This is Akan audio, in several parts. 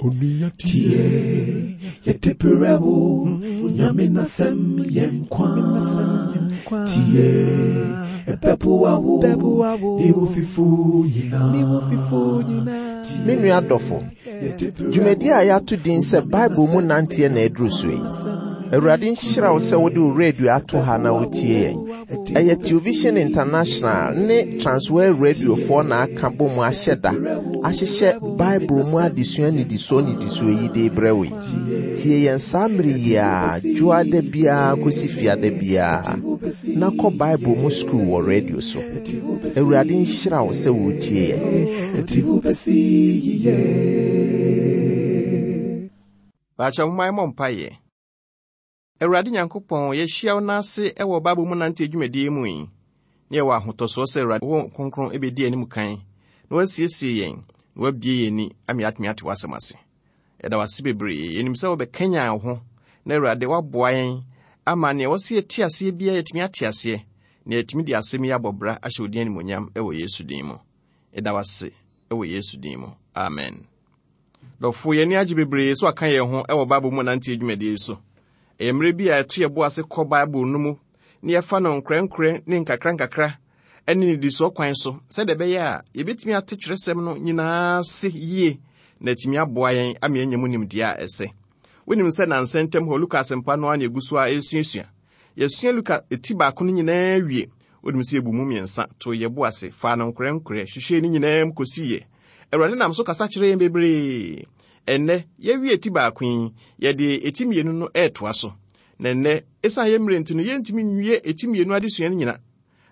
Onua tie, yɛde brɛ wo, Nyame n'asɛm yɛ nkwa. Tie, ɛbɛboa wo, ne wo fifo nyinaa. Me nua dɔfo, dwumadi a yɛato din sɛ Bible mu nanteɛ na aduru so yi. Awurade nhyira wo sɛ wode wo radio ato ha na wotie yɛn. Ɛyɛ Television International ne Transworld Radiofoɔ na aka bɔ mu ahyɛ da ahyehyɛ Bible mu adesua nnidisoɔ nnidisoɔ yi de rebrɛ wo yi. Tie yɛn saa mmere yi ara, dwoada biara kɔsi fiada biara, na kɔ Bible mu sukuu wɔ radio so. Awurade nhyira wo sɛ woretie yɛn. Baakyɛ momma yɛmmɔ mpaeɛ. Awurade Nyankopɔn, yɛahyia wo nan ase wɔ Bible mu nante dwumadie mu yi, na yɛwɔ ahotɔsoɔ sɛ Awurade wo Kronkron bɛdi anim kan, na wasiesie yɛn, na wabie yɛn ani ama yɛatumi ate w'asɛm ase. Yɛda wo ase bebree. Yɛnim sɛ wobɛkanyan wo ho, na Awurade woaboa yɛn ama nea ɛwɔ sɛ yɛte aseɛ biara yɛatumi ate aseɛ, na yɛatumi de asɛm yi abɔ bra ahyɛ wo din animuonyam wɔ Yesu din mu. Yɛda wo ase wɔ Yesu din mu. Amen. Dɔfo, yɛn ani agye bebree so aka yɛn ho wɔ Bible mu nanteɛ dwumadie yi so. Ɛyɛ mmerɛ bi a ɛto yɛn bo ase kɔ Bible no mu na yɛfa no nkorɛnkorɛ ne nkakrankakra ne nnidisoɔ kwan so sɛdeɛ ɛbɛyɛ a yɛbɛtumi ate twerɛsɛm no nyinaa ase yie na atumi aboa yɛn ama yɛanya mu nimdeɛ a ɛsɛ. Wonim sɛ nansa ntam hɔ Luka asɛmpa no ara na ɛgu so a ɛresuasua. Yɛasua Luka ti baako no nyinaa wie. Wonim sɛ yɛbu mu mmiɛnsa, too yɛn bo ase, faa no nkorɛnkorɛ, hwehwɛɛ ne nyinaa mu kɔsiiɛ. Awurade nam so kasa kyerɛ yɛn bebree. Ɛnnɛ, yɛawie ti baako yi, yɛde eti mmienu no retoa so. Na ɛnnɛ, esiane yɛn mmerɛ nti no, yɛntumi nwie eti mmienu adesua no nyina.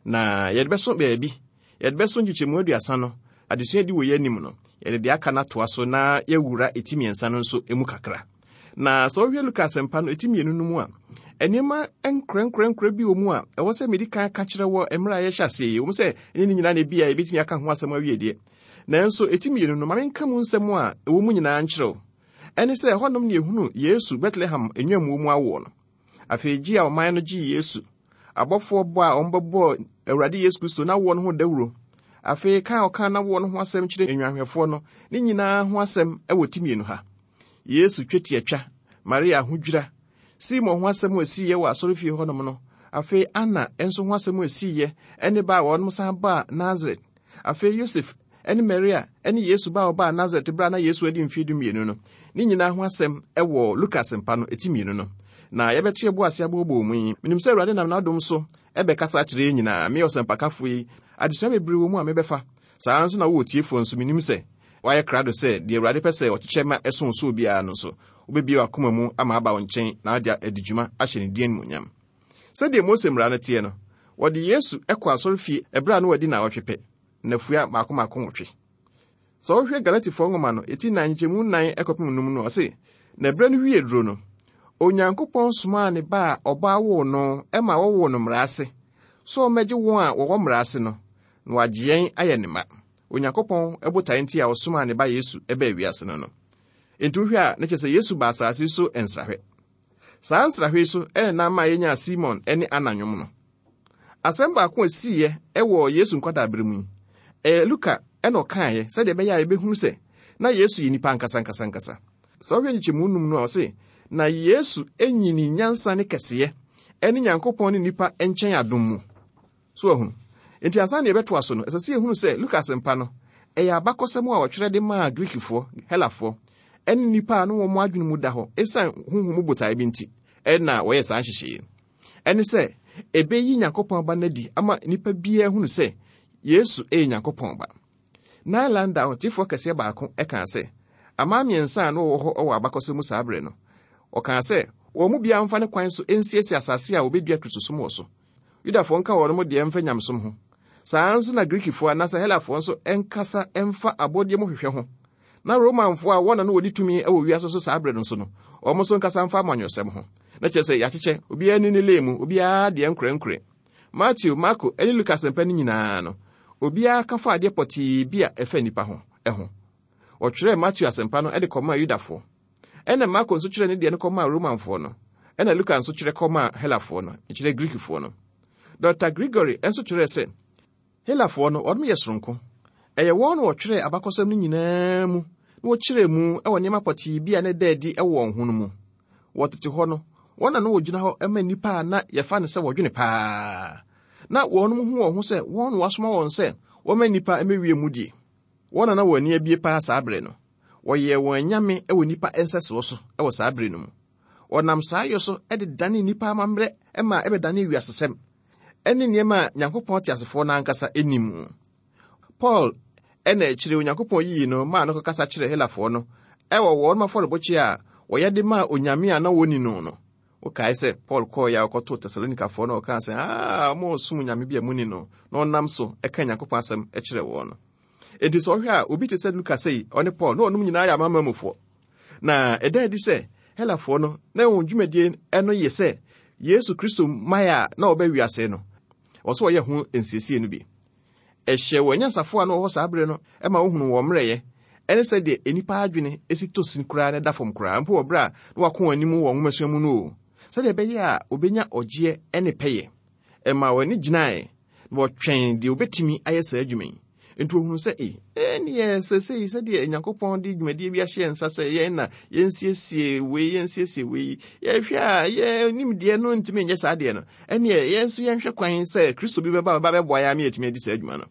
Na yɛde bɛso baabi. Yɛde bɛso nkyekyɛmu aduasa no, adesua di wɔ yɛn anim no, yɛde deɛ aka no atoa so na yɛawura eti mmiɛnsa no nso mu kakra. Na sɛ wohwɛ Luka asɛmpa no eti mmienu no mu a, nneɛma nkorɛnkorɛnkorɛ bi wɔ mu a ɛwɔ sɛ medi kan ka kyerɛ wɔ mmerɛ a yɛhyɛ aseɛ yi. Ɛwom sɛ ɛnyɛ ne nyinaa na ebi a yɛbɛtumi aka ho asɛm awie deɛ. Nanso eti mmienu no, ma menka mu nsɛm a ɛwɔ mu nyinaa nkyerɛ wo. Ɛne sɛ ɛhɔnom na yɛhunu Yesu Betlehem nnwammuo mu awoɔ no. Afei gye a ɔman no gyee Yesu, abɔfoɔ bɔ a wɔbɛbɔɔ Awurade Yesu Kristo n'awoɔ no ho dawuro, afei ka a ɔkaa n'awoɔ no ho asɛm kyerɛ nnwanhwɛfoɔ no, ne nyinaa ho asɛm wɔ ti mmienu ha. Yesu twetiatwa, Maria ahodwira, Simon ho asɛm a esiiɛ wɔ asɔrefie hɔnom no, afei Anna nso ho asɛm a esiiɛ ne ba a wɔnom san baa Nasaret, afei Yosef ne Maria ne Yesu ba a ɔbaa Nasaret berɛ a na Yesu adi mfeɛ dumienu no, ne nyinaa ho asɛm wɔ Luka Asɛmpa no ti mmienu no. Na yɛbɛto yɛn bo ase abooboo mu yi. Menim sɛ Awurade nam n'adom so bɛkasa akyerɛ yɛn nyinaa. Me ɔsɛmpakafo yi, adesua bebree wɔ mu a mebɛfa. Saa ara nso na wo otiefoɔ nso, menim sɛ woayɛ krado sɛ deɛ Awurade pɛ sɛ ɔkyekyɛ ma ɛso so obiara no nso, wobɛbue w'akoma mu ama aba wo nkyɛn na wode adi dwuma ahyɛ ne din animuonyam. Sɛdeɛ Mose mmara no teɛ no, wɔde Yesu kɔɔ asɔrefie ɛberɛ a na wadi nnawɔtwe pɛ, nnafua mmaako mmaako nwɔtwe. Sɛ wohwɛ Galatifoɔ nwoma no, ɛti nan nkyɛmu nan kɔpem num no, ɔse, Na ɛberɛ no wie duro no, Onyankopɔn somaa ne ba a ɔba woo no ma wɔwoo no mmara ase, sɛ ɔmmɛgye wɔn a wɔwɔ mmara ase no, na wagye yɛn ayɛ ne mma. Onyankopɔn botae nti a ɔsomaa ne ba Yesu baa wiase no no. Enti wohwɛ a, na kyerɛ sɛ Yesu baa asase so nsrahwɛ. Saa nsrahwɛ yi so na na ama yɛnya Simon ne Anna nnwom no. Asɛm baako a esiiɛ wɔ Yesu nkwadaaberɛ mu yi, ɛyɛ Luka na ɔkaeɛ sɛdeɛ ɛbɛyɛ a yɛbɛhunu sɛ na Yesu yɛ nipa ankasa ankasa ankasa. Sɛ wohwɛ nkyekyɛmu num no a, ɔse, Na Yesu nyinii nyansa ne kɛseyɛ ne Nyankopɔn ne nnipa nkyɛn adom mu. So wahunu? Enti ansa na yɛbɛtoa so no, ɛsɛ sɛ yɛhunu sɛ Luka Asɛmpa no, ɛyɛ abakɔsɛm a wɔtwerɛ de maa Greekfoɔ, Helafoɔ, ne nnipa a na wɔn adwene mu da hɔ esiane honhom mu botae bi nti na wɔyɛɛ saa nhyehyɛe yi. Ɛne sɛ, ɛbɛyi Nyankopɔn Ba no adi ama nnipa biara ahunu sɛ Yesu yɛ Nyankopɔn Ba. Nylander ɔtefoɔ kɛseɛ baako kaa sɛ, aman mmiɛnsa a na wɔwɔ hɔ wɔ abakɔsɛm mu saa berɛ no, ɔkaa sɛ, wɔn mu biara mfa ne kwan so nsiesie asase a wɔbɛdua Kristosom wɔ so. Yudafoɔ nka wɔn deɛ mfa nyamesom ho. Saa ara nso na Grikifoɔ anaasɛ Helafoɔ nso nkasa mfa abɔdeɛ mu hwehwɛ ho. Na Romanfoɔ a wɔn na na wɔdi tumi wɔ wiase so saa berɛ no nso no, wɔn nso nkasa mfa amanyɔsɛm ho. Na kyerɛ sɛ yɛakyekyɛ, obiara ni ne lane mu, obiara deɛ nkorɛnkorɛ. Mateo, Marko, ne Luka asɛmpa no nyinaa no, obiara ka fa adeɛ pɔtee bi a ɛfa nnipa ho ho. Wɔtwerɛɛ Mateo asɛmpa no de kɔmaa Yudafoɔ. Ɛna Marko nso twerɛɛ ne deɛ no kɔmaa Romanfoɔ no. Ɛna Luka nso twerɛ kɔmaa Helafoɔ no, nkyerɛ Greekfoɔ no. Dɔkta Gregory nso twerɛɛ sɛ, Helafoɔ no, wɔnom yɛ soronko. Ɛyɛ wɔn na wɔtwerɛɛ abakɔsɛm no nyinaa mu na na wɔkyerɛɛ mu wɔ nneɛma pɔtee bi a na ɛda adi wɔ wɔn ho no mu. Wɔ tete hɔ no, wɔn na na wɔgyina hɔ ma nnipa a na yɛfa no sɛ wɔdwene paa. Na wɔnom hu wɔn ho sɛ wɔn na wɔasoma wɔn sɛ wɔmma nnipa mmɛwie mudie. Wɔn na na wɔn ani abue paa saa bere no. Wɔyɛɛ wɔn anyame wɔ nnipa nsɛsoɔ so wɔ saa bere no mu. Wɔnam saa yɔ so de danee nnipa amammerɛ ma ɛbɛdanee wiasesɛm ne nneɛma a Nyankopɔn teasefoɔ no ankasa nnim mu. Paul na akyire Onyankopɔn yii no maa no kɔkasa kyerɛɛ Helafoɔ no wɔ wɔn afɔrebɔkyia a wɔyɛ de maa onyame a na wɔnni no no. Wokae sɛ Paul kɔeɛ a ɔkɔtoo Tesalonikafoɔ no ɔkaa sɛ, Aa, moresom onyame bi a monni no, na ɔnam so ka Nyankopɔn asɛm kyerɛ wɔn no. Enti sɛ ɔhwɛ a, obi te sɛ Luka sei, ɔne Paul, na ɔnom nyinaa yɛ amanaman mufoɔ. Na ɛda adi sɛ Helafoɔ no, na wɔn dwumadie no yɛ sɛ Yesu Kristo mmaeɛ a na ɔba wiase no, wɔ sɛ wɔyɛ ho nsiesie no bi. Ɛhyɛɛ wɔn anyansafoɔ a na wɔwɔ saa bere no ma wohunuu wɔn mmerɛyɛ ne sɛdeɛ nnipa adwene si tɔ sin koraa na ɛda fam koraa mpo wɔ berɛ a na wɔako wɔn anim wɔ nwomasua mu no o, sɛdeɛ ɛbɛyɛ a wɔbɛnya ɔgyeɛ ne pɛyɛ. Ɛmaa wɔn ani gyinae na wɔtwɛn deɛ wɔbɛtumi ayɛ saa adwuma yi. Enti wɔhunu sɛ, e, ɛnneɛ seesei sɛdeɛ Nyankopɔn de dwumadie bi ahyɛ yɛn nsa sɛ yɛn na yɛnsiesie wei, yɛnsiesie wei, yɛhwɛ a yɛn nimdeɛ no ntumi nyɛ saa deɛ no, ɛnneɛ yɛn nso yɛnhwɛ kwan sɛ Kristo bi bɛba bɛba bɛboa yɛn ama yɛatumi adi saa adwuma no.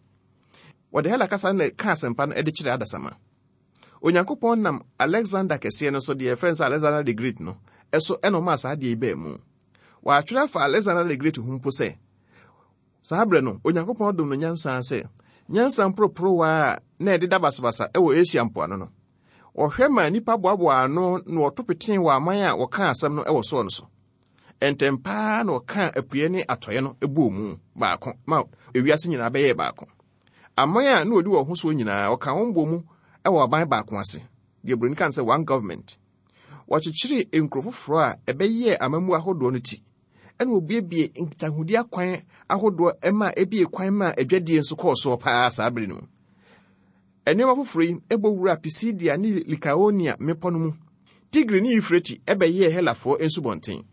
Wɔde Hela kasa no na ɛka asɛmpa no de kyerɛ adasamma. Onyankopɔn nam Alexander kɛseɛ no so, deɛ yɛfrɛ no sɛ Alexander the Great no, so ɛna ɔmaa saa adeɛ yi baa mu. Wɔatwerɛ afa Alexander the Great ho mpo sɛ, Saa berɛ no, Onyankopɔn dom no nyansa sɛ nyansa mporoporowa a na ɛdeda basabasa wɔ Asia mpoano no. Ɔhwɛ maa nnipa boaboaa ano na wɔto petee wɔ aman a wɔkaa asɛm no wɔ soɔ no so. Ntɛm pa ara na ɔkaa apueɛ ne atɔeɛ no bɔɔ mu baako ma ewiase nyinaa bɛyɛɛ baako. Aman a na wɔdi wɔn ho soɔ nyinaa, ɔkaa wɔn bɔɔ mu wɔ aban baako ase, deɛ Buroni ka no sɛ one government. Wɔkyekyeree nkuro foforɔ a ɛbɛyɛɛ amammuo ahodoɔ no ti ɛna obuebue nkitahodi akwan ahodoɔ ma ebie kwan ma adwadie nso kɔɔ soɔ paa saa bere no mu. Nneɛma foforɔ yi bɔ wura Pisidia ne Likaonia mmepɔ no mu. Tigri ne Eufrate bɛyɛɛ Helafoɔ nsubɔnten.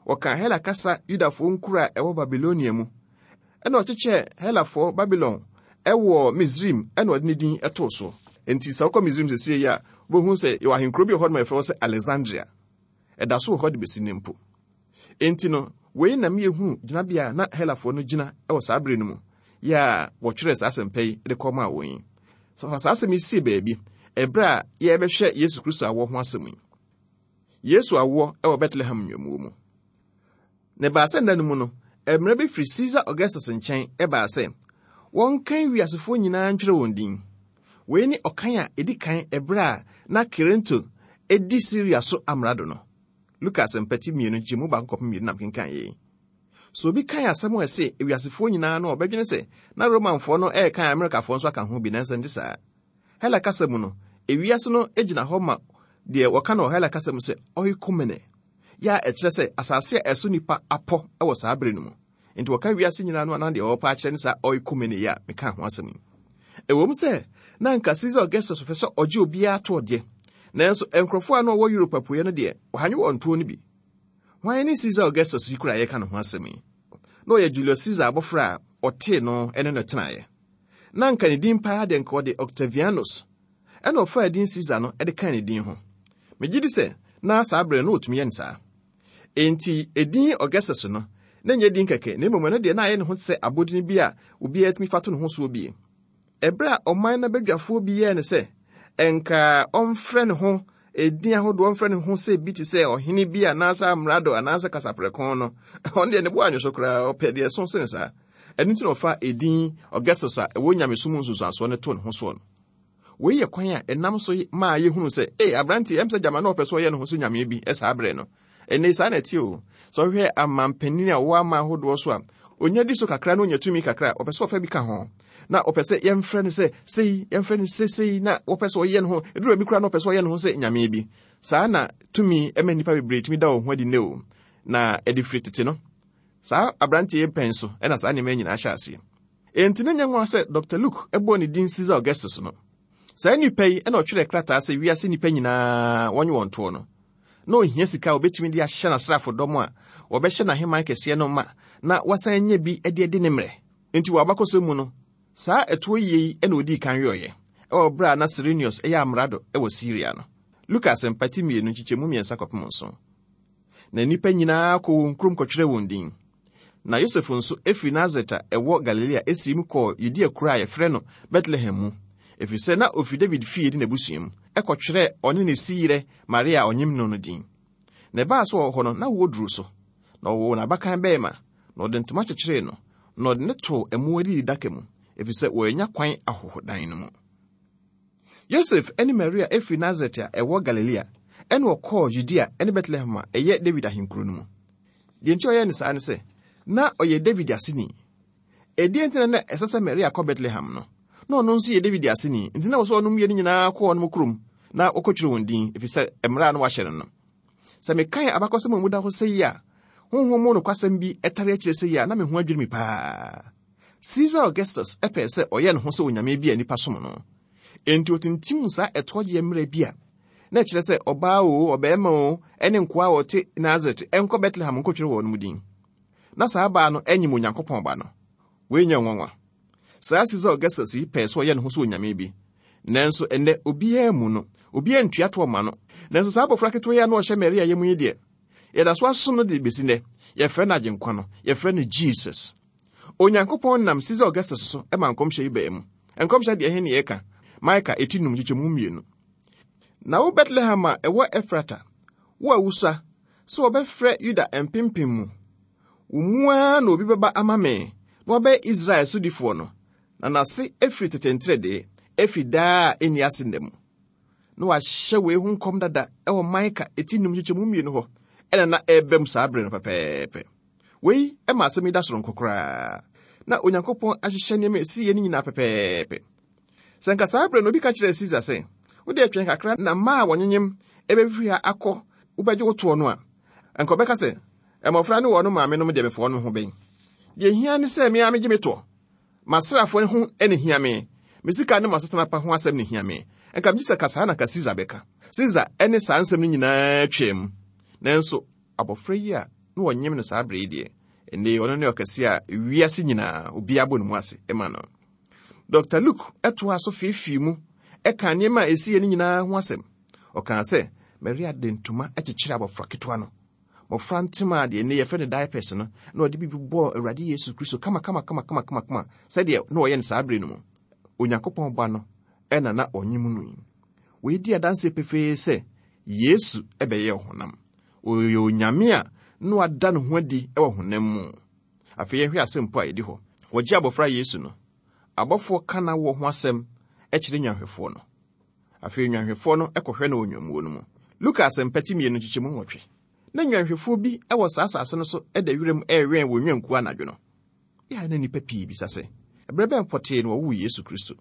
Wɔkaa Hela kasa Yudafoɔ nkuro a ɛwɔ Babilonia mu. Ɛna ɔkyekyɛɛ Helafoɔ Babilon wɔ Misraim ɛna ɔde ne din too so. Enti sɛ wokɔ Misraim seesei yi a, wobɛhu sɛ yɛwɔ ahenkuro bi wɔ hɔ nom a yɛfrɛ hɔ sɛ Alexandria. Ɛda so wɔ hɔ de bɛsi nnɛ mpo. Enti no, wei na ma yɛhunu gyinabea a na Helafoɔ no gyina wɔ saa bere no mu, yɛ a wɔtwerɛɛ saa asɛmpa yi de kɔmaa wɔn yi. Fa saa asɛm yi sie baabi ɛberɛ a yɛrebɛhwɛ Yesu Kristo awoɔ ho asɛm yi. Yesu awoɔ wɔ Betlehem nnwammuo mu. Na ɛbaa sɛ nna no mu no, mmara bi firi Caesar Augustus nkyɛn baa sɛ wɔnkan wiasefoɔ nyinaa ntwerɛ wɔn din. Wei ne ɔkan a ɛdi kan ɛberɛ a na Kirinto di Siria so amrado no. Luka Asɛmpa ti mmienu nkyɛmu baako kɔpem mmienu na mekenkan yei. So obi kan asɛm a ɛse ewiasefoɔ nyinaa no a ɔbɛdwene sɛ na Romanfoɔ no ɛrekan Amerikafoɔ nso aka ho bi, nanso ɛnte saa. Hela kasa mu no, ewiase no gyina hɔ ma deɛ wɔka no wɔ Hela kasa mu sɛ oikumene, yɛ a ɛkyerɛ sɛ asase a ɛso nnipa apɔ wɔ saa bere no mu. Enti wɔka wiase nyinaa no a na deɛ wɔpɛ akyerɛ ne saa oikumene yi a mekaa ho asɛm yi. Ɛwom sɛ na anka Caesar Augustus pɛ sɛ ɔgye obiara toɔ deɛ, nanso nkurɔfoɔ a na wɔwɔ Europe apueɛ no deɛ, wɔanye wɔn toɔ no bi. Hwan ne Caesar Augustus yi koraa a yɛreka ne ho asɛm yi? Na ɔyɛ Julius Caesar abɔfra a ɔtee no ne no tenaeɛ. Na anka ne din paa deɛ nka ɔde Octavianus, ɛna ɔfaa din Caesar no de kaa ne din ho. Megye di sɛ na saa berɛ no na ɔtumi yɛ no saa. Enti, edin Augustus no, na ɛnyɛ din kɛkɛ, na mmom ɛno deɛ na ayɛ ne ho te sɛ abodin bi a obiara tumi fa to ne ho soɔ bie. Ɛberɛ a ɔman no abadwafoɔ bi yɛɛ no sɛ ɛnka ɔmfrɛ ne ho edin ahodoɔ, ɔmfrɛ ne ho sɛ bi te sɛ ɔhene bi anaasɛ amrado anaasɛ kasaprɛko no, ɔno deɛ ne bo anwo so koraa, ɔpɛ deɛ ɛso sene saa. Ɛno nti na ɔfa edin Augustus a ɛwɔ nyamesom nsunsuansoɔ no too ne ho soɔ no. Wei yɛ kwan a ɛnam so maa yɛhunu sɛ, ee, aberante, ɛm sɛ gyama na ɔpɛ sɛ ɔyɛ ne ho so nyame bi saa berɛ no. Ɛnnɛ saa na ɛte o. Sɛ ɔhwɛ amanpanin a wɔwɔ aman ahodoɔ so a, ɔnya di so kakra na ɔnya tumi kakra a, ɔpɛ sɛ ɔfa bi ka ho. Na ɔpɛ sɛ yɛmfrɛ no sɛ sei, yɛmfrɛ no sɛ sei, na wɔpɛ sɛ ɔyɛ ne ho, ɛduru baabi koraa na ɔpɛ sɛ ɔyɛ ne ho sɛ nyame bi. Saa na tumi ma nnipa bebree tumi da wɔn ho adi nnɛ o. Na ɛde firi tete no, saa aberanteɛ yi pɛn so na saa nneɛma nyinaa hyɛ aseɛ. Enti na ɛnyɛ nwanwa sɛ Dɔkta Luke bɔɔ ne din Caesar Augustus no. Saa nipa yi na ɔtwerɛɛ krataa sɛ wiase nnipa nyinaa wɔnye wɔn toɔ no. Na ɔhia sika a ɔbɛtumi de ahyɛ n'asraafodɔm a wɔbɛhyɛ n'ahemman kɛseɛ no ma na wasan anya bi de adi ne mmerɛ. Enti wɔ abakɔsɛm mu no, saa ɛtoɔ yie yi na ɔdii kan yɔeɛ. wɔ berɛ a na Sirenius yɛ amrado wɔ Siria no. Luka Asɛmpa ti 2 nkyekyɛmu 3 kɔpem 7. Na nnipa nyinaa kɔɔ wɔn kurom kɔtwerɛɛ wɔn din. Na Yosef nso firi Nasaret a ɛwɔ Galilea siim kɔɔ Yudea kuro a wɔfrɛ no Betlehem mu, ɛfiri sɛ na ɔfiri Dawid fie ne n'abusua mu, kɔtwerɛɛ ɔne ne siyerɛ Maria a ɔnyem no no din. Na ɛbaa sɛ ɔwɔ hɔ no, na woɔ duruu so. Na ɔwoo n'abakan barima, na ɔde ntoma kyekyeree no, na ɔde no too mmoa adididaka mu, ɛfiri sɛ wɔannya kwan ahɔhodan no mu. Yosef ne Maria firi Nasaret a ɛwɔ Galilea, ɛnna wɔkɔɔ Yudea ne Betlehem a ɛyɛ Dawid ahenkuro no mu. Deɛ nti a ɔyɛɛ no saa ne sɛ, na ɔyɛ Dawid aseni. Ɛdeɛn nti na na ɛsɛ sɛ Maria kɔ Betlehem no? Na ɔno nso yɛ Dawid aseni, nti na ɛwɔ sɛ ɔnom mmienu nyinaa kɔ wɔn kurom na wɔkɔtwerɛ wɔn din, ɛfiri sɛ mmara a na wɔahyɛ no no. Sɛ mekan abakɔsɛm a emu da hɔ sɛ yi a, honhom mu nokwasɛm bi tare akyire sɛ yi a, na me ho adwiri me paa. Caesar Augustus pɛɛ sɛ ɔyɛ ne ho sɛ onyame bi a nnipa som no. Enti otintim saa ɛtoɔgyeɛ mmara bi a na ɛkyerɛ sɛ ɔbaa oo, ɔbarima oo, ne nkoa a wɔte Nasaret nkɔ Betlehem nkɔtwerɛ wɔn mu din. Na saa baa no nyem Onyankopɔn Ba no. Wei nyɛ nwanwa. Saa Caesar Augustus yi pɛɛ sɛ ɔyɛ ne ho sɛ onyame bi. Nanso ɛnnɛ, obiara mmu no. Obiara ntua toɔ mma no. Nanso saa abɔfra ketewa yi a na ɔhyɛ Maria yam yi deɛ, yɛda so asom no de bɛsi nnɛ. Yɛfrɛ no Agyenkwa no. Yɛfrɛ no Jesus. Onyankopɔn nam Caesar Augustus so ma nkɔmhyɛ yi baa mu. Nkɔmhyɛ deɛ ɛhe ne yɛka? Mika eti num nkyekyɛmu mmienu. Na wo Betlehem a ɛwɔ Efrata, wo a wusua sɛ wɔbɛfrɛ Yuda mpempem mu, wo mu ara na obi bɛba ama me na wabɛyɛ Israel sodifoɔ no, na n'ase firi tete nteredee, efi daa a enni ase nna mu. Na wɔahyɛ wei ho nkɔm dada wɔ Mika eti num nkyekyɛmu mmienu hɔ, ɛna na ɛreba mu saa bere no pɛpɛɛpɛ. Wei ma asɛm yi da soronko koraa. Na Onyankopɔn ahyehyɛ nneɛma a esiiɛ no nyinaa pɛpɛɛpɛ. Sɛ anka saa bere no obi ka kyerɛɛ Caesar sɛ, Wo deɛ twɛn kakra na mmaa a wɔnyenyem bɛfiri ha akɔ wobɛgye wo toɔ no a, anka ɔbɛka sɛ, Mmɔfra ne wɔn maamenom deɛ mefa wɔn ho bɛn? Deɛ ehia ne sɛ me ara megye me toɔ. M'asraafoɔ ho na ehia me. Me sika ne m'asetena pa ho asɛm na ehia me. Anka megye sɛ ka saa na anka Caesar bɛka. Caesar ne saa nsɛm no nyinaa twaam. Nanso abɔfra yi a na wɔnyem no saa bere yi deɛ, ɛnnɛ yi ɔno ne ɔkɛse a wiase nyinaa obiara bɔ ne mu ase ma no. Dr. Luke toaa so feefee mu kaa nneɛma a esiiɛ no nyinaa ho asɛm. Ɔkaa sɛ, Maria de ntoma kyekyeree abɔfra ketewa no. Mmɔfra ntoma a deɛ nnɛ yɛfrɛ no diapers no, na ɔde biribi bɔɔ Awurade Yesu Kristo kama kama kama kama kama kama sɛdeɛ na ɔyɛ no saa bere no mu. Onyankopɔn Ba no na na ɔnyem no yi. Wei di adanseɛ pefee sɛ Yesu bɛyɛɛ ɔhonam. Ɔyɛ Onyame a na wada ne ho adi wɔ honam mu. Afei yɛnhwɛ asɛmpo a ɛdi hɔ. Wɔgye abɔfra Yesu no, abɔfoɔ ka n'awoɔ ho asɛm kyerɛ nnwanhwɛfoɔ no. Afei nnwanhwɛfoɔ no kɔhwɛ no wɔ nnwammuo no mu. Luka Asɛmpa ti 2 nkyekyɛmu 8. Na nnwanhwɛfoɔ bi wɔ saa asase no so da wiram rewɛn wɔn nnwankuo anadwo no. Yɛ a na nnipa pii bisa sɛ, Ɛberɛ bɛn pɔtee na wɔwoo Yesu Kristo?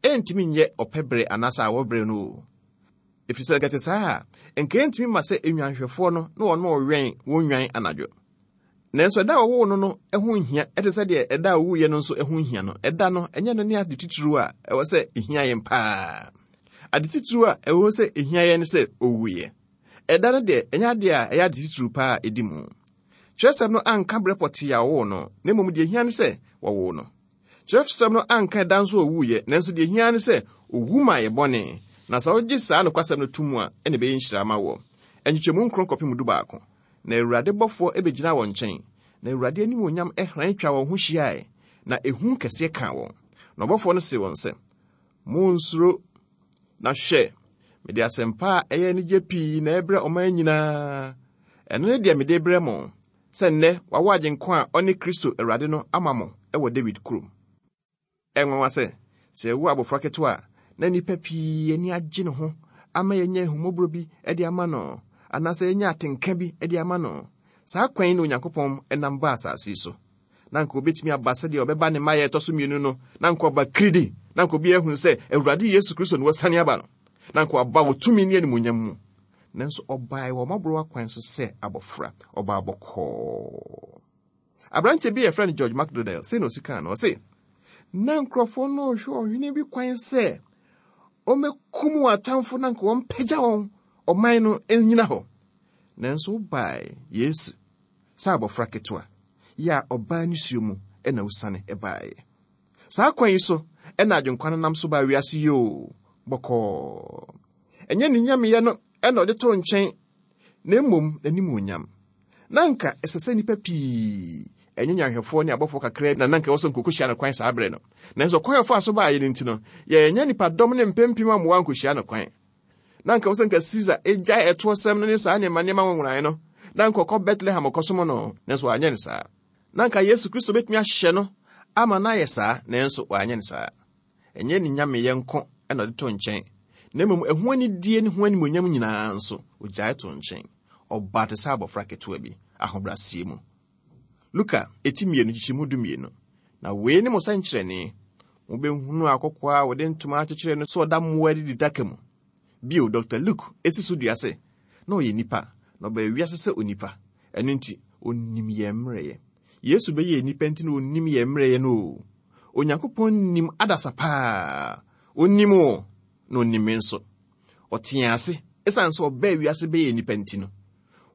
Ɛrentumi nyɛ ɔpɛ bere anaasɛ awɔ bere no oo. Ɛfiri sɛ anka ɛte saa a, anka ɛrentumi mma sɛ nnwanhwɛfoɔ no na wɔn rewɛn wɔn nnwan anadwo. Nanso ɛda a wɔwoo no no ho nhia te sɛ deɛ ɛda a ɔwuiɛ no nso ho nhia no. Ɛda no, ɛnyɛ no ne ade titiriw a ɛwɔ sɛ ɛhia yɛn paa. Ade titiriw a ɛwɔ sɛ ɛhia yɛn ne sɛ ɔwuiɛ. Ɛda no deɛ, ɛnyɛ adeɛ a ɛyɛ ade titiriw paa a ɛdi mu. Kyerɛwsɛm no anka berɛ pɔtee a wɔwoo no, na mmom deɛ ɛhia ne sɛ wɔwoo no. Kyerɛwsɛm no anka ɛda nso a ɔwuiɛ, nanso deɛ ɛhia ne sɛ ɔwu maa yɛn bɔne, na sɛ wogye saa nokwasɛm no to mu a, ɛna ɛbɛyɛ nhyira ama woɔ. Nkyekyɛmu nkron kɔpem dubaako. Na Awurade bɔfoɔ bɛgyinaa wɔn nkyɛn, na Awurade animuonyam hran twaa wɔn ho hyiae, na ehu kɛseɛ kaa wɔn. Na ɔbɔfoɔ no see wɔn sɛ, Monnsuro, na hwɛ, mede asɛmpa a ɛyɛ anigye pii na ɛrebrɛ ɔman nyinaa. Ɛno ne deɛ mede rebrɛ mo, sɛ nnɛ wɔawo Agyenkwa a ɔne Kristo Awurade no ama mo wɔ Dawid kurom. Ɛyɛ nwanwa sɛ, sɛ yɛwo abofra ketewa a, na nnipa pii ani agye ne ho ama yɛanya ahummɔborɔ bi de ama no, anaasɛ yɛanya atenka bi de ama no. Saa kwan yi na Onyankopɔn nam baa asase yi so. Na anka obetumi aba sɛdeɛ ɔbɛba ne mmaeɛ a ɛtɔ so mmienu no, na anka ɔba kiridi, na anka obiara ahunu sɛ Awurade Yesu Kristo na wasiane aba no, na anka waba wɔ tumi ne animuonyam mu. Nanso ɔbae wɔ mmɔborɔwa kwan so sɛ abɔfra, ɔbaa bɔkɔɔ. Aberante bi a yɛfrɛ no George MacDonald, sei na osi kaa no, ɔse, Na nkurɔfoɔ no rehwɛ ɔhene bi kwan sɛ ɔmmɛkum wɔn atamfo na nka wɔmpagya wɔn ɔman no nnyina hɔ. Nanso wobae, Yesu, sɛ abɔfra ketewa, yɛ a ɔbaa nisuo mu na wosiane baeɛ. Saa kwan yi so na Agyenkwa no nam so baa wiase yi oo, bɔkɔɔ. Ɛnyɛ ne nyameyɛ no na ɔde too nkyɛn, na mmom n'animuonyam. Na anka ɛsɛ sɛ nnipa pii, ɛnyɛ nnwanhwɛfoɔ ne abɔfoɔ kakraa bi na na anka ɛwɔ sɛ nkokohyia no kwan saa berɛ no. Nanso ɔkwan a ɔfaa so baeɛ no nti no, yɛannya nnipadɔm ne mpempem a mmoa ankɔhyia no kwan. Na anka ɛwɔ sɛ nka Caesar gyae ɛtoɔsɛm no ne saa nneɛma nneɛma nwonwonae no, na anka ɔkɔ Bethlehem kɔsom no, nanso wanyɛ no saa. Na anka Yesu Kristo betumi ahyɛ no ama no ayɛ saa, nanso wanyɛ no saa. Ɛnyɛ ne nyameyɛ nko na ɔde too nkyɛn, na mmom ɛho anidie ne ho animuonyam nyinaa nso, ogyae too nkyɛn. Ɔbaa te sɛ abɔfra ketewa bi, ahobrɛaseɛ mu. Luka, eti mmienu, nkyekyɛmu 12. Na wei ne mo sɛnkyerɛnne, mobɛhunu akokoaa a wɔde ntoma akyekyere no sɛ ɔda mmoa adididaka mu. Bio, Dɔkta Luke si so dua sɛ, na ɔyɛ nipa, na ɔbaa wiase sɛ onipa. Ɛno nti, onim yɛn mmerɛyɛ. Yesu bɛyɛɛ nipa nti na onim yɛn mmerɛyɛ no oo. Onyankopɔn nim adasa paa. Onim wo, na onim me nso. Ɔte yɛn ase esiane sɛ ɔbaa wiase bɛyɛɛ nipa nti no.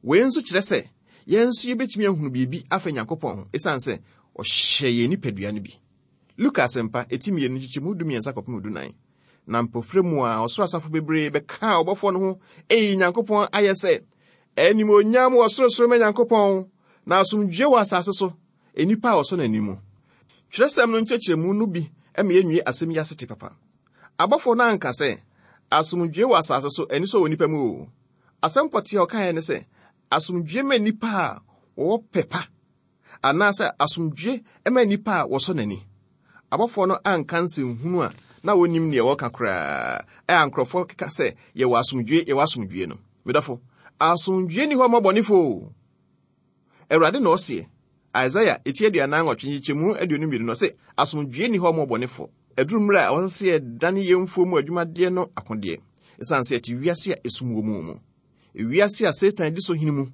Wei nso kyerɛ sɛ yɛn nso yɛbɛtumi ahunu biribi afa Nyankopɔn ho esiane sɛ ɔhyɛɛ yɛn nipadua no bi. Luka Asɛmpa, eti mmienu, nkyekyɛmu 13 kɔpem 14. Na mpofirem mu ara ɔsoro asafo bebree bɛkaa ɔbɔfoɔ no ho eyi Nyankopɔn ayɛ sɛ, Animuonyam wɔ sorosoro ma Nyankopɔn, na asomdwoe wɔ asase so, nnipa a wɔsɔ n'ani mu. Twerɛsɛm no nkyerɛkyerɛmu no bi ma yɛnwie asɛm yi asete papa. Abɔfoɔ no anka sɛ, Asomdwoe wɔ asase so, anisɔ wɔ nnipa mu o. Asɛm pɔtee a wɔkaeɛ ne sɛ, Asomdwoe ma nnipa a wɔwɔ pɛ pa. Anaasɛ asomdwoe ma nnipa a wɔsɔ n'ani. Abɔfoɔ no anka nsɛnhunu a na wɔnnim deɛ wɔreka koraa a nkurɔfoɔ keka sɛ yɛwɔ asomdwoe, yɛwɔ asomdwoe no. Me dɔfo, asomdwoe nni hɔ mma ɔbɔnefoɔ o. Awurade na ɔseɛ. Isaiah eti 48 nkyekyɛmu 22 no ɔse, asomdwoe nni hɔ mma ɔbɔnefoɔ. Aduru mmerɛ a ɛwɔ sɛ yɛdane yɛn mfuo mu adwumadeɛ no akodeɛ, ɛsiane sɛ yɛte wiase a esum wɔ mu mu. Wiase a Satan di so hene mu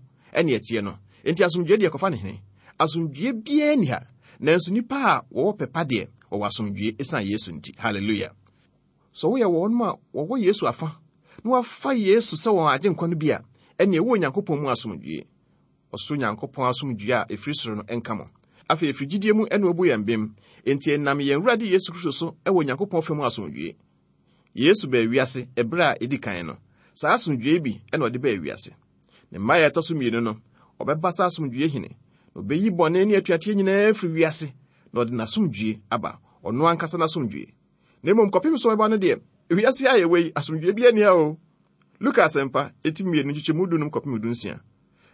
ne ɛteɛ no, enti asomdwoe deɛ kɔfa ne hene. Asomdwoe biara nni ha, nanso nnipa a wɔwɔ pɛ pa deɛ, wɔwɔ asomdwoe esiane Yesu nti. Hallelujah! Sɛ woyɛ wɔn a wɔwɔ Yesu afa na wɔafa Yesu sɛ wɔn Agyenkwa no bi a, ɛnneɛ wowɔ Onyankopɔn mu asomdwoe. Ɔsoro Nyankopɔn asomdwoe a ɛfiri soro no nka mo. Afei ɛfiri gyidie mu na wɔbu yɛn bem, enti ɛnam yɛn Awurade Yesu Kristo so wɔ Onyankopɔn fam asomdwoe. Yesu baa wiase bere a edi kan no, saa asomdwoe yi bi na ɔde baa wiase. Ne mmae a ɛtɔ so mmienu no, ɔbɛba sɛ asomdwoe hene, na obeyi bɔne ne atuateɛ nyinaa afiri wiase, na ɔde n'asomdwoe aba, ɔno ankasa n'asomdwoe. Na mmom kɔpem sɛ ɔbɛba no deɛ, wiase a yɛwɔ yi, asomdwoe biara nni ha o. Luka Asɛmpa, eti mmienu, nkyekyɛmu dunum kɔpem dunsia.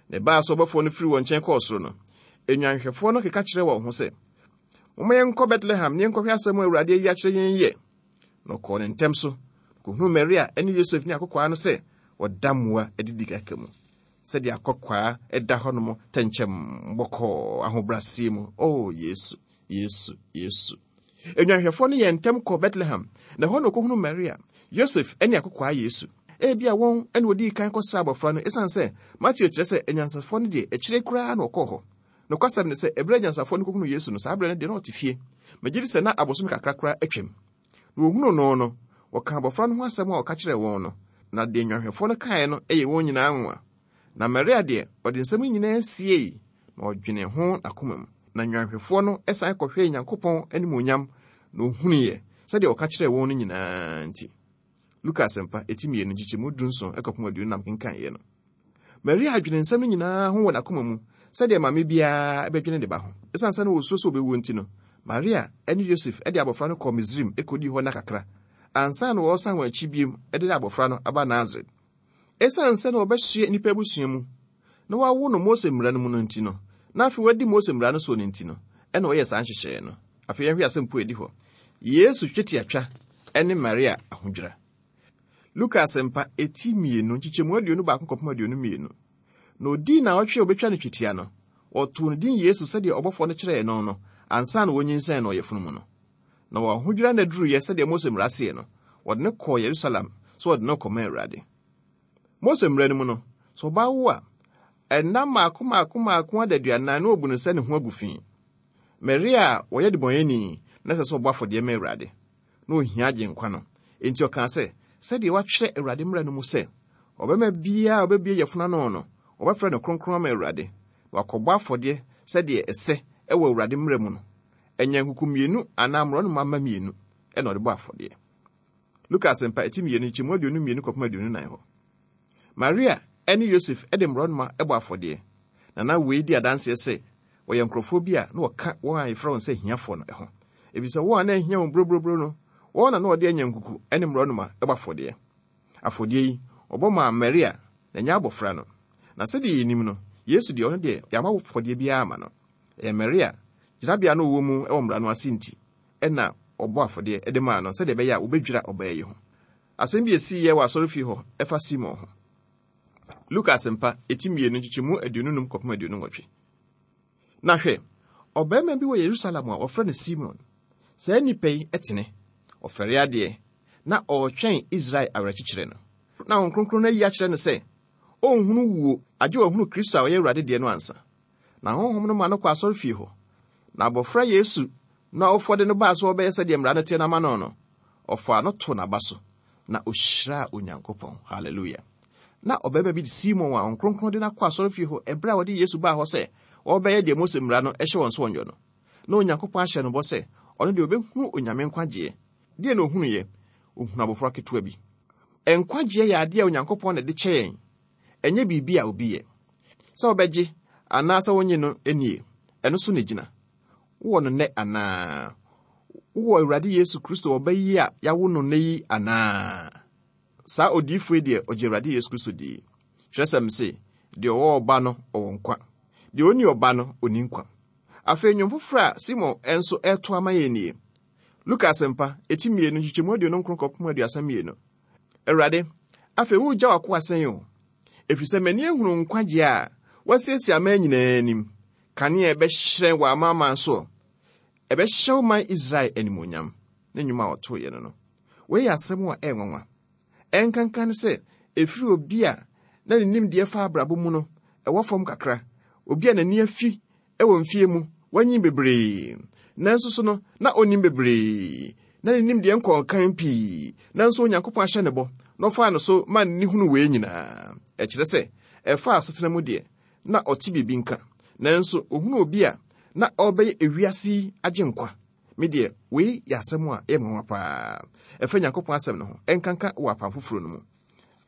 Na ɛbaa sɛ ɔbɔfoɔ no firi wɔn nkyɛn kɔɔ soro no, nnwanhwɛfoɔ no keka kyerɛɛ wɔn ho sɛ, Momma yɛnkɔ Betlehem na yɛnkɔhwɛ asɛm a Awurade ayi akyerɛ yɛn yi ɛ. Na ɔkɔɔ no ntɛm so, kohuu Maria ne Yosef ne akokoaa no sɛ wɔda mmoa adididaka mu. Sɛdeɛ akokoaa da hɔnom tɛnkyɛm bɔkɔɔ ahobrɛaseɛ mu. O Yesu, Yesu, Yesu. Nnwanhwɛfoɔ no yɛɛ ntɛm kɔɔ Betlehem, na ɛhɔ na wɔkɔhunuu Maria, Yosef ne akokoaa Yesu. Ebia wɔn na wɔdii kan kɔsraa abɔfra no esiane sɛ Mateo kyerɛ sɛ anyansafoɔ no deɛ akyire koraa na wɔkɔɔ hɔ. Nokwasɛm ne sɛ, bere a anyansafoɔ no kɔhunuu Yesu no, saa bere no deɛ na ɔte fie. Megye di sɛ na abosome kakra koraa atwam. Na wɔhunuu no no, wɔkaa abɔfra no ho asɛm a ɔka kyerɛɛ wɔn no, na deɛ nnwanhwɛfoɔ no kaeɛ no yɛɛ wɔn nyinaa nwonwa. Na Maria deɛ, ɔde nsɛm yi nyinaa siei, na ɔdwenee ho n'akoma mu. Na nnwanhwɛfoɔ no san kɔhwɛɛ Nyankopɔn animuonyam, na wɔhunuiɛ, sɛdeɛ ɔka kyerɛɛ wɔn no nyinaa nti. Luka Asɛmpa, eti mmienu, nkyekyɛmu 17 kɔpem 24 kenkaneɛ no. Maria dwene nsɛm no nyinaa ho wɔ n'akoma mu sɛdeɛ maame biara bɛdwene ne ba ho. Esiane sɛ na wɔsuro sɛ ɔbɛwuo nti no, Maria ne Yosef de abɔfra no kɔɔ Misraim kɔdii hɔ nna kakra ansa na wɔresan wɔn akyi bio de abɔfra no aba Nasaret. Esiane sɛ na wɔbɛsoɛ nnipa abusua mu na wɔawo no Mose Mmara no mu no nti no, na afei wɔadi Mose Mmara no soɔ no nti no, ɛna wɔyɛɛ saa nhyehyɛeɛ no. Afei yɛnhwɛ asɛmpo a ɛdi hɔ, Yesu twetiatwa ne Maria ahodwira. Luka Asɛmpa, eti mmienu, nkyekyɛmu 21 kɔpem 22. Na odii nnawɔtwe a obetwa no twetia no, wɔtoo no din Yesu sɛdeɛ ɔbɔfoɔ no kyerɛɛ no no, ansa na wɔnyinsɛn no ɔyafunu mu no. Na wɔn ahodwira nna duruiɛ sɛdeɛ Mose mmara seɛ no, wɔde no kɔɔ Yerusalem sɛ wɔde no rekɔma Awurade. Mose mmara no mu no, sɛ ɔbaa wo a, nna mmaako mmaako mmaako adaduanan na wɔbu no sɛ ne ho agu fi. Maria a ɔyɛ debɔneyɛni na ɛsɛ sɛ ɔbɔ afɔdeɛ ma Awurade. Na ohia Agyenkwa no. Enti ɔkaa sɛ, Sɛdeɛ wɔatwerɛ Awurade mmara no mu sɛ, 'Ɔbarima biara a ɔbɛbue yafunu ano no, wɔbɛfrɛ no kronkron ama Awurade, na wakɔbɔ afɔdeɛ sɛdeɛ ɛsɛ wɔ Awurade mmara mu no, anyankuku mmienu anaa mmorɔnoma mma mmienu. na ɔde bɔ afɔdeɛ. Luka Asɛmpa eti mmienu nkyɛmu 22 kɔpem 24 hɔ. Maria ne Yosef de mmorɔnoma bɔ afɔdeɛ, na na wei di adanseɛ sɛ wɔyɛ nkurɔfoɔ bi a na wɔka wɔn a yɛfrɛ wɔn sɛ ahiafoɔ no ho. Efisɛ wɔn a na ahia wɔn buroburoburo no, wɔn na na wɔde anyankuku ne mmorɔnoma bɔ afɔdeɛ. Afɔdeɛ yi, wɔbɔ maa Maria, na ɛnyɛ abɔfra no. Na sɛdeɛ yɛnim no, Yesu deɛ, ɔno deɛ, yɛammɔ afɔdeɛ biara amma no. Ɛyɛ Maria gyinabea a na ɔwɔ mu wɔ mmara no ase nti na wɔbɔ afɔdeɛ de maa no sɛdeɛ ɛbɛyɛ a wɔbɛdwira ɔbaa yi ho. Asɛm bi a esiiɛ wɔ asɔrefie hɔ fa Simon ho. Luka Asɛmpa, eti mmienu, nkyekyɛmu 25 kɔpem 28. Na hwɛ, ɔbarima bi wɔ Yerusalem a wɔfrɛ no Simon. Saa nipa yi tene, ɔfɛre adeɛ, na ɔretwɛn Israel awerɛkyekyerɛ no. Na Honhom Kronkron no ayi akyerɛ no sɛ ɔrenhunu wuo agye wahunu Kristo a ɔyɛ Awurade deɛ no ansa. Na Honhom no ma no kɔ asɔrefie hɔ. Na abɔfra Yesu no awofoɔ de no baa sɛ wɔbɛyɛ sɛdeɛ mmara no teɛ no ama no no, ɔfaa no too n'aba so, na ɔhyiraa Onyankopɔn. Hallelujah. Na ɔbarima bi de Simon a Honhom Kronkron de no akɔ asɔrefie hɔ ɛberɛ a wɔde Yesu baa hɔ sɛ wɔrebɛyɛ deɛ Mose mmara no hyɛ wɔn sɛ wɔnyɔ no. Na Onyankopɔn ahyɛ no bɔ sɛ ɔno deɛ ɔbɛhunu Onyame nkwagyeɛ. Deɛ na ɔhunuiɛ? Ɔhunu abɔfra ketewa bi. Nkwagyeɛ yɛ adeɛ a Onyankopɔn na ɛde kyɛ yɛn, ɛnyɛ biribi a obi yɛ. Sɛ wobɛgye anaasɛ wonnye no nnie, ɛno so na ɛgyina. Wowɔ no nnɛ anaa? Wowɔ Awurade Yesu Kristo ɔba yi a yɛawo no nnɛ yi anaa? Saa odiyifoɔ yi deɛ, ɔgye Awurade Yesu Kristo die. Twerɛsɛm se, Deɛ ɔwɔ ɔba no, ɔwɔ nkwa. Deɛ ɔnni ɔba no, ɔnni nkwa. Afei nnwom foforɔ a Simon nso reto ama yɛn nie. Luka Asɛmpa, eti mmienu, nkyekyɛmu 29 kɔpem 32. Awurade, afei woregya w'akoa sɛn o? Ɛfiri sɛ m'ani ahunu nkwagyeɛ a woasiesie aman nyinaa anim, kanea a ɛbɛhyerɛn wɔ amanaman soɔ. Ɛbɛhyɛ wo man Israel animuonyam. Ne nnwom a ɔtoeɛ no no. Wei yɛ asɛm a ɛyɛ nwanwa. Ɛnkanka ne sɛ ɛfiri obi a na ne nimdeɛ fa abrabɔ mu no ɛwɔ fam kakra, obi a n'ani afi wɔ mfeɛ mu, wanyin bebree, nanso so no, na ɔnnim bebree, na ne nimdeɛ nkɔɔ nkan pii, nanso Onyankopɔn ahyɛ ne bɔ, na ɔfaa no so maa n'ani hunu wei nyinaa. Ɛkyerɛ sɛ, ɛfa asetena mu deɛ, na ɔte biribi nka, nanso ɔhunu obi a na ɔrebɛyɛ ewiase yi agyenkwa. Me deɛ, wei yɛ asɛm a ɛyɛ nwanwa paa. Ɛfa Nyankopɔn asɛm no ho, ɛnkanka wɔ Apam Foforɔ no mu.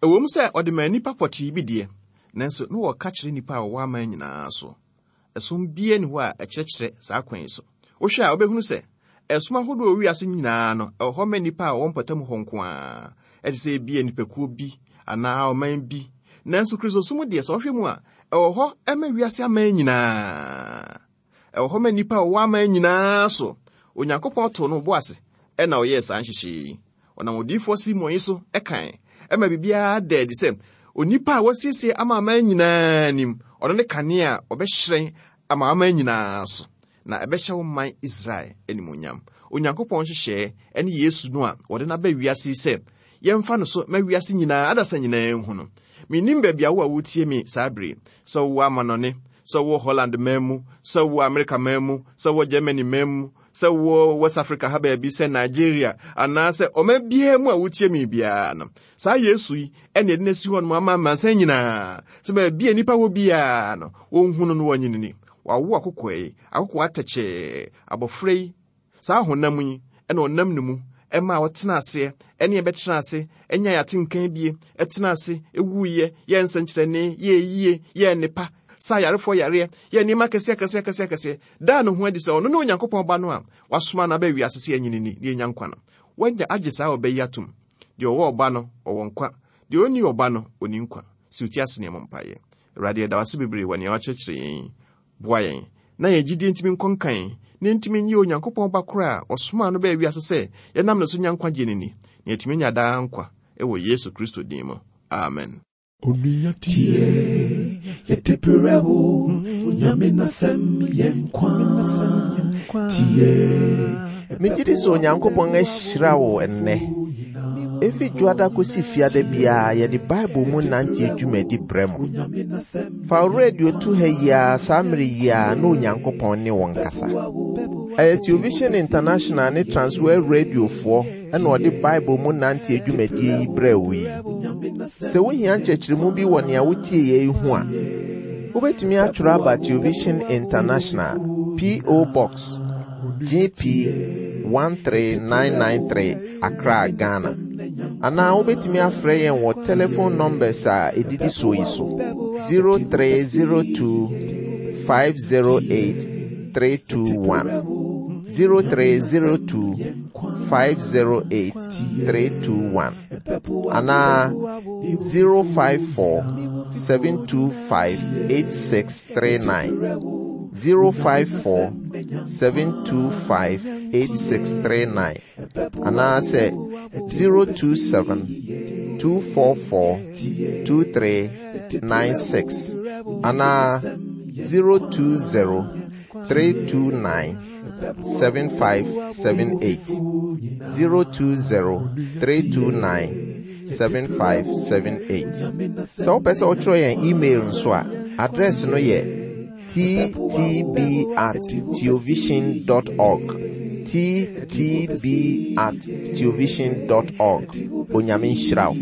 Ɛwom sɛ ɔde maa nnipa pɔtee bi deɛ, nanso na wɔka kyerɛ nnipa a wɔwɔ aman nyinaa so. Ɛsom biara nni hɔ a ɛkyerɛkyerɛ saa kwan yi so. Wohwɛ a, wobɛhunu sɛ ɛsom ahodoɔ wɔ wiase nyinaa no, ɛwɔ hɔ ma nnipa a wɔwɔ mpɔtam hɔ nko ara. Ɛte sɛ ebia nnipakuo bi anaa ɔman bi. Nanso Kristosom deɛ, sɛ wohwɛ mu a, ɛwɔ hɔ ma wiase aman nyinaa. Ɛwɔ hɔ ma nnipa a wɔwɔ aman nyinaa so. Onyankopɔn too no bo ase na ɔyɛɛ saa nhyehyɛe yi. Ɔnam odiyifoɔ Simon yi so kae ma biribiara da adi sɛ onipa a wasiesie ama aman nyinaa anim, ɔno ne kanea a ɔbɛhyerɛn ama aman nyinaa so, na ɛbɛhyɛ wo man Israel animuonyam. Onyankopɔn nhyehyɛe ne Yesu no a wɔde no aba wiase yi sɛ yɛmfa no so ma wiase nyinaa adasa nyinaa nhu no. Mennim baabi a wo a woretie me saa bere yi, sɛ wowɔ amanɔne, sɛ wowɔ Holland man mu, sɛ wowɔ Amerika man mu, sɛ wowɔ Germany man mu, sɛ wowɔ West Africa ha baabi, sɛ Nigeria, anaasɛ ɔman biara mu a wotie me biara no, saa Yesu yi ɛne ɛde no asi hɔ nom ama amansan nyinaa, sɛ baabi a nnipa wɔ biara no, wɔnhu no no wɔnye no ni. Wawo akokoa yi, akokoa atɛkyɛɛ, abɔfra yi, saa honam yi, ɛna ɔnam ne mu ɛma ɔtena aseɛ, ɛne ɛbɛtena ase, ɛnya yɛatenkan bie, ɛtena ase, ɛwuiɛ, yɛ nsɛnkyerɛnne, yɛ yie, yɛ nnepa, sa ayarefoɔ yareɛ, yɛ nneɛma akɛseɛ akɛseɛ akɛseɛ akɛseɛ, daa ne ho adi sɛ ɔno ne Onyankopɔn Ba no a wasoma no aba wiase sɛ yɛnyini ni na yɛnya nkwa no. Wanya agye saa ɔba yi atom. Deɛ ɔwɔ ɔba no, ɔwɔ nkwa. Deɛ ɔnni ɔba no, ɔnni nkwa. Si wo ti ase na yɛmmɔ mpaeɛ. Awurade, yɛda wo ase bebree wɔ nea woakyerɛkyerɛ yɛn yi. Boa yɛn na yɛn gyidie ntumi nkɔ nkan na yɛntumi nnye Onyankopɔn Ba korɔ a ɔsomaa no baa wiase sɛ yɛnam ne so nya nkwagyeɛ no nni, na yɛatumi anya daa nkwa wɔ Yesu Kristo din mu. Amen. Onua tie, yɛde brɛ wo, Onyame n'asɛm yɛ nkwa. Tie. Megye di sɛ Onyankopɔn ahyira wo nnɛ. Efi Dwoada kosi Fiada biara yɛde Bible mu nante dwumadi brɛ mo. Fa wo radio to ha yi ara saa mmere yi ara na Onyankopɔn ne wo nkasa. Ɛyɛ Television International ne Transworld Radiofoɔ na ɔde Bible mu nante dwumadie yi brɛɛ wo yi. Sɛ wohia nkyerɛkyerɛmu bi wɔ nea wotieeɛ yi ho a, wobɛtumi atwerɛ aba Television International, P.O. Box, GP. 13993 Accra, Ghana. Anaa wobɛtumi afrɛ yɛn wɔ telephone numbers a ɛdidi soɔ yi so: 0302 508 321, 0302 508 321, anaa 054 725 8639, 054 725 8639, anaasɛ 027 244 2396, anaa 020 329 7578, 020 329 7578. Sɛ wopɛ sɛ wotwerɛ yɛn email nso a, address no yɛ ttb@teovision.org, ttb@teovision.org. Onyame nhyira wo.